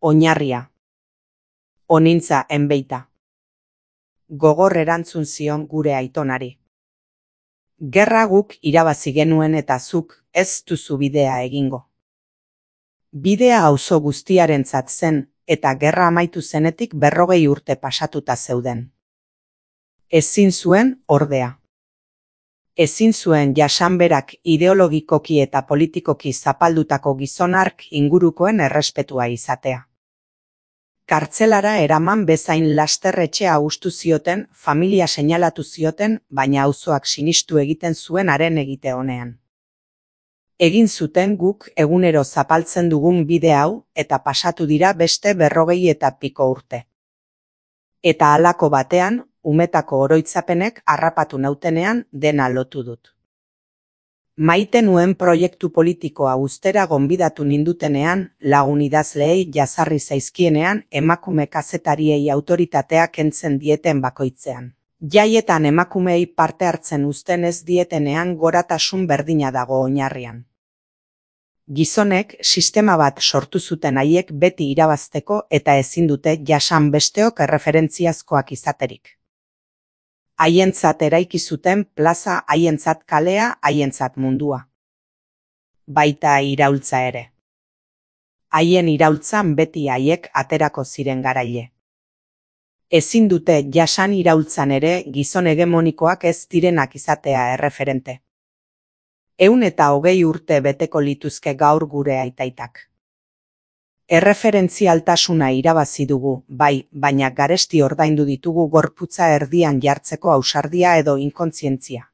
Oinarria. Onintza enbeita. Gogor erantzun zion gure aitonari. Gerra guk irabazi genuen eta zuk ez duzu bidea egingo. Bidea auzo guztiarentzat zen eta gerra amaitu zenetik 40 urte pasatuta zeuden. Ezin zuen ordea. Ezin zuen jasanberak ideologikoki eta politikoki zapaldutako gizon hark ingurukoen errespetua izatea. Kartzelara eraman bezain laster etxea hustu zioten, familia seinalatu zioten, baina auzoak sinistu egiten zuen haren egite honean. Egin zuten guk egunero zapaltzen dugun bide hau eta pasatu dira beste 40 eta piko urte. Eta halako batean, umetako oroitzapenek harrapatu nautenean dena lotu dut. Maite nuen proiektu politikoa uztera gonbidatu nindutenean, lagun idazleei jazarri zaizkienean, emakume kazetariei autoritatea kentzen dieten bakoitzean. Jaietan emakumeei parte hartzen uzten ez dietenean goratasun berdina dago oinarrian. Gizonek sistema bat sortu zuten haiek beti irabazteko eta ezin dute jasan besteok erreferentziazkoak izaterik. Haientzat eraiki zuten plaza, haientzat kalea, haientzat mundua. Baita iraultza ere. Haien iraultzan beti haiek aterako ziren garaile. Ezin dute jasan iraultzan ere gizon hegemonikoak ez direnak izatea erreferente. 120 urte beteko lituzke gaur gure aitaitak. Erreferentzialtasuna irabazi dugu, bai, baina garesti ordaindu ditugu gorputza erdian jartzeko ausardia edo inkontzientzia.